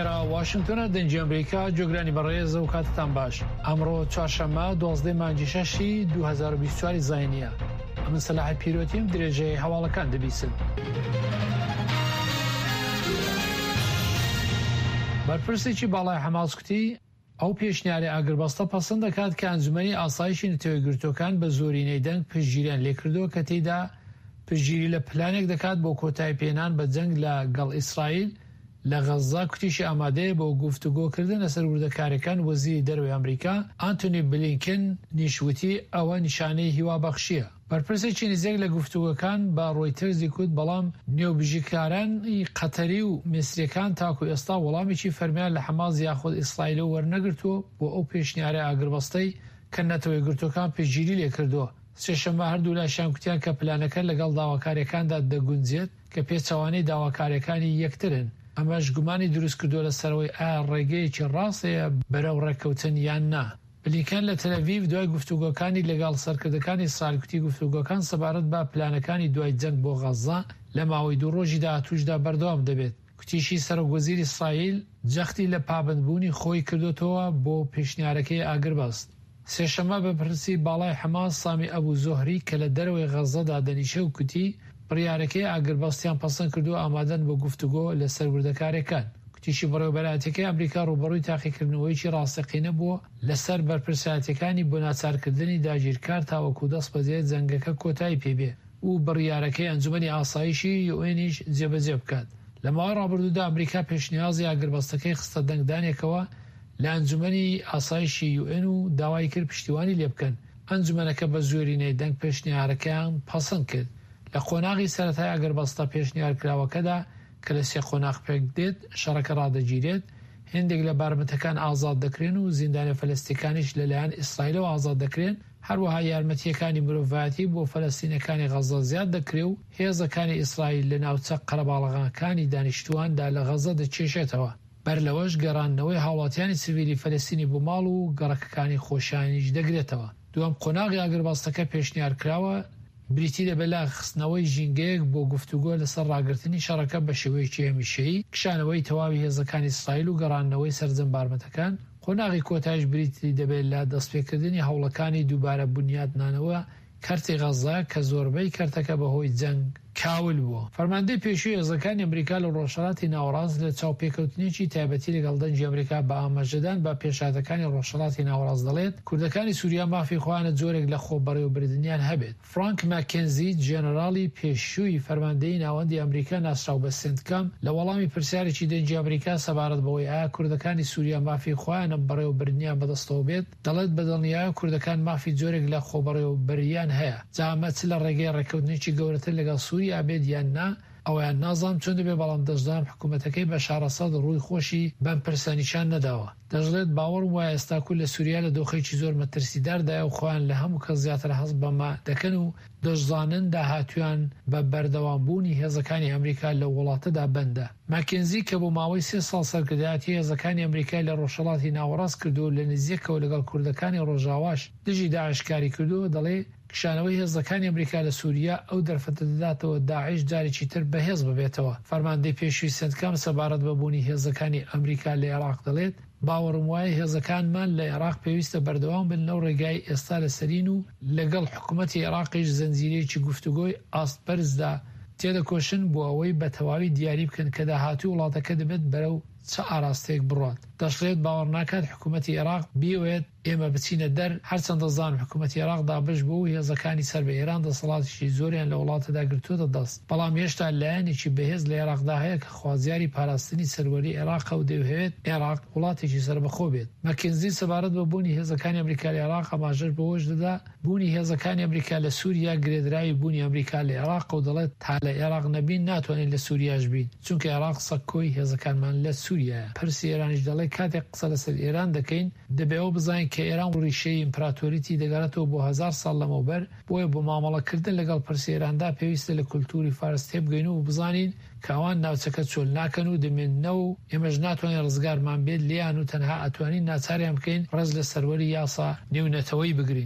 ئێرە واشنگتۆنە دەنگی ئەمریکا جۆگرانی بەڕێز و کاتتان باش ئەمڕۆ چوارشەممە دوازدەی مانگی شەشی 2024 زاینیە ئەمن سەلاحی پیرۆتیم درێژەی هەواڵەکان دەبیسن. بەرپرسێکی باڵای حەماس کوتی ئەو پێشنیارەی ئاگربەستە پەسەند دەکات کە ئەنجومەنی ئاسایشی نەتەوەیەکگرتووەکان بە زۆرینەی دەنگ پشتگیریان لێکردووە کە تێیدا پشتگیری لە پلانێک دەکات بۆ کۆتایی پێهێنان بە جەنگ لە گەڵ ئیسرائیل لە غەززە، کوتیشی ئامادەیە بۆ گفتوگۆکردن لەسەر وردەکاریەکان، وەزیری دەرەوەی ئەمریکا ئانتۆنی بلینکن نیش وتی ئەوە نیشانەی هیوابەخشیە. بەرپرسێکی نزیک لە گفتوگۆکان بە ڕۆیتەرزی کوت بەڵام نێوبژیکارانی قەتەری و میسریەکان تاکو ئێستا وەڵامێکی فەرمیان لە حەماس یاخود ئیسرائیلەوە وەرنەگرتووە بۆ ئەو پێشنیارە ئاگربەستەی کە نەتەوەیەکگرتووەکان پشتگیری لێکردووە. سێشەممە هەردوولاشیان کوتیان کە پلانەکە لەگەڵ داواکاریەکاندا دەگونجێت کە پێچەوانەی داواکاریەکانی یەکترن، ئەمەش گومانی دروستکردووە لەسەرئەوەی ئایا ڕێگەیەکی ڕاست هەیە بەرەو ڕێککەوتن یان نا. بلینکەن لە تەلئەڤیڤ دوای گفتوگۆکانی لەگەڵ سەرکردەکانی ئیسرائیل کوتی گفتوگۆکان سەبارەت بە پلانەکانی دوای جەنگ بۆ غەززە لە ماوەی دوو ڕۆژی داهاتووشدا بەردەوام دەبێت. کوتیشی سەرۆک وەزیری ئیسرائیل جەختی لە پابەندبوونی خۆی کردۆتەوە بۆ پێشنیارەکەی ئاگربەست. سێشەممە بەرپرسی باڵای حەماس سامی ئەبو زوهری کە لە دەرەوەی غەززە دادەنیشێ و کوتی بڕیارەکەی ئاگربەستیان پەسەند کردووە ئامادەن بۆ گفتوگۆ لەسەر وردەکاریەکان. کوتیشی بەڕێوەبەرایەتیەکەی ئەمریکا ڕووبەڕووی تاقیکردنەوەیەکی ڕاستەقینە بووە لەسەر بەرپرسایەتیەکانی بۆ ناچارکردنی داگیرکار تاوەکو دەستبەجێ جەنگەکە کۆتایی پێ بێ و بڕیارەکەی ئەنجومەنی ئاسایشی یوئێنیش جێبەجێ بکات. لە ماوەی ڕابردوودا ئەمریکا پێشنیازی ئاگربەستەکەی خستە دەنگدانێکەوە لە ئەنجومەنی ئاسایشی یوئێن و داوای کرد پشتیوانی لێبکەن، ئەنجومەنەکە بە زۆرینەی دەنگ پێشنیارەکەیان پەسەند کرد. لە قۆناغی سەرەتای ئاگربەستە پێشنیارکراوەکەدا کە لە سێ قۆناغ پێکدێت، شەڕەکە ڕادەگیرێت، هێندێک لە بارمتەکان ئازاد دەکرێن و زیندانیە فەلەستیەکانیش لەلایەن ئیسرائیلەوە ئازاد دەکرێن، هەروەها یارمەتییەکانی مرۆڤایەتی بۆ فەلەستینەکانی غەززە زیاد دەکرێ و هێزەکانی ئیسرائیل لە ناوچە قەرەباڵغەکانی دانیشتوواندا لە غەززە دەکێشێتەوە. بەر لەوەش گەڕاندنەوەی هاوڵاتیانی سڤیلی فەلەستینی بۆ ماڵ و گەڕەکەکانی خۆشیانیش دەگرێتەوە. دووەم قۆناغی ئاگربەستەکە پێشنیارکراوە، بریتی دەبێت لە خستنەوەی ژینگەیەک بۆ گفتوگۆ لەسەر ڕاگرتنی شەڕەکە بە شێوەیەکی هەمیشەیی، کشانەوەی تەواوی هێزەکانی ئیسرائیل و گەڕاندنەوەی سەرجەم بارمتەکان، قۆناغی کۆتایش بریتی دەبێت لە دەستپێکردنی هەوڵەکانی دووبارە بونیادنانەوە کەرتی غەززە کە زۆربەی کەرتەکە بەهۆی جەنگ کاول بووە. فەرماندەی پێشووی هێزەکانی ئەمریکا لە ڕۆژهەڵاتی ناوەڕاست لە چاوپێکەوتنێکی تایبەتی لەگەڵ دەنگی ئەمریکا بە ئاماژەدان بە پێشهاتەکانی ڕۆژهەڵاتی ناوەڕاست دەڵێت کوردەکانی سوریا مافی خۆیانە جۆرێک لە خۆبەڕێوەبردنیان هەبێت. فرانک ماکێنزی، ژەنەراڵی پێشووی فەرماندەیی ناوەندی ئەمریکا ناسراو بە سێنتکام، لە وەڵامی پرسیارێکی دەنگی ئەمریکا سەبارەت بەوەی ئایا کوردەکانی سوریا مافی خۆیانە بەڕێوەبردنیان بەدەستەوە بێت، دەڵێت بەدڵنیایەوە کوردەکان مافی جۆرێک لە خۆبەڕێوەبەرییان هەیە، جا ئەمە چ لە ڕێگەی ڕێککەوتنێکی گەورەتر لەگەڵ سوریا بێت یان نا، ئەوەیان نازانم چۆن دەبێت، بەڵام دەشزانم حکومەتەکەی بەشار ئەسەد ڕووی خۆشی بەم پرسە نیشان نەداوە. دەشڵێت باوەڕم وایە ئێستا کورد لە سوریا لە دۆخێکی زۆر مەترسیداردایە و خۆیان لە هەموو کەس زیاتر هەست بەمە دەکەن و دەشزانن داهاتوویان بە بەردەوامبوونی هێزەکانی ئەمریکا لەو وڵاتەدا بەندە. ماکێنزی کە بۆ ماوەی سێ ساڵ سەرکردایەتی هێزەکانی ئەمریکای لە ڕۆژهەڵاتی ناوەڕاست کردووە و لە نزیکەوە لەگەڵ کوردەکانی ڕۆژاواش دژی داعش کاری کردووە دەڵێ کشانەوەی هێزەکانی ئەمریکا لە سوریا ئەو دەرفەتە دەداتەوە داعش جارێکی تر بەهێز ببێتەوە. فەرماندەی پێشووی سێنتکام سەبارەت بە بوونی هێزەکانی ئەمریکا لە ئێراق دەڵێت، باوەڕم وایە هێزەکانمان لە ئێراق پێویستە بەردەوام بن لەو ڕێگای ئێستا لەسەرین و لەگەڵ حکومەتی ئێراقیش زنجیرەیەکی گفتوگۆی ئاست بەرزدا تێدەکۆشن بۆ ئەوەی بە تەواوی دیاری بکەن کە داهاتووی وڵاتەکە دەبێت بەرەو چ ئاراستەیەک بڕوات. دەشڵێت باوەڕناکات حکومەتی ئێراق بیەوێت ئێمە بچینە دەر، هەرچەندە زانم حکومەتی ئێراق دابەش بووە و هێزەکانی سەر بە ئێران دەسەڵاتێکی زۆریان لە وڵاتەدا گرتووەتە دەست، بەڵام هێشتا لایەنێکی بەهێز لە ئێراقدا هەیە کە خوازیاری پاراستنی سەروەری ئێراقە و دەیهەوێت ئێراق وڵاتێکی سەربەخۆ بێت. مەکینزی سەبارەت بە بوونی هێزەکانی ئەمریکا لە ئێراق ئاماژەش بەوەش دەدا، بوونی هێزەکانی ئەمریکا لە سووریا گرێدراوی بوونی ئەمریکا لە ئێراقە و دەڵێت تا لە ئێراق نەبین ناتوانین لە سووریاش بین، چونکە ئێراق سەکۆی هێزەکانمان لە سووریایە. پرسی ئێرانیش دەڵێت کاتێک قسە لەسەر ئێران دەکەین، دەبێ ئەوە بزانین کە ئێران ڕیشەی ئیمپراتۆریی دەگەڕێتەوە بۆ هەزار ساڵ لەمەوبەر، بۆیە بۆ مامەڵەکردن لەگەڵ پرسی ئێراندا پێویستە لە کولتووری فارس تێبگەین و بزانین کە ئەوان ناوچەکە چۆل ناکەن و دەمێننەوە و ئێمەش ناتوانین ڕزگارمان بێت لێیان و تەنها ئەتوانین ناچاریان بکەین ڕێز لە سەروەری یاسا نێونەتەوەیی بگرین.